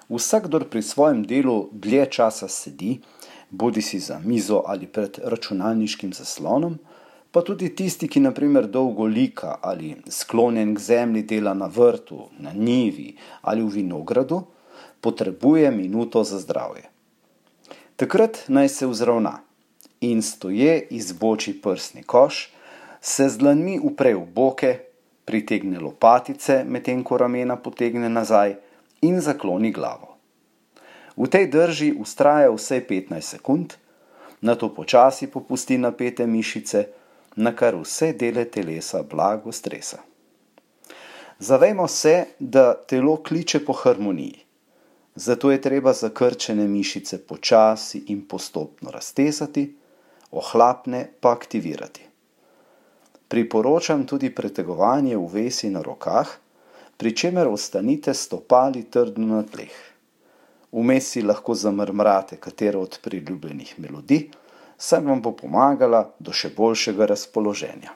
Vsakdor pri svojem delu dlje časa sedi, bodisi za mizo ali pred računalniškim zaslonom, pa tudi tisti, ki na primer dolgo lika ali sklonjen k zemlji dela na vrtu, na njivi ali v vinogradu, potrebuje minuto za zdravje. Takrat naj se vzravna in stoje izboči prsni koš, se z dlanmi upre v boke, pritegne lopatice, medtem ko ramena potegne nazaj in zakloni glavo. V tej drži vztraja vsaj 15 sekund, nato počasi popusti napete mišice, nakar vse dele telesa blago stresa. Zavejmo se, da telo kliče po harmoniji. Zato je treba zakrčene mišice počasi in postopno raztezati, ohlapne pa aktivirati. Priporočam tudi pretegovanje uvesi na rokah, pri čemer ostanite stopali trdno na tleh. Vmes si lahko zamrmrate katero od priljubljenih melodij, saj vam bo pomagala do še boljšega razpoloženja.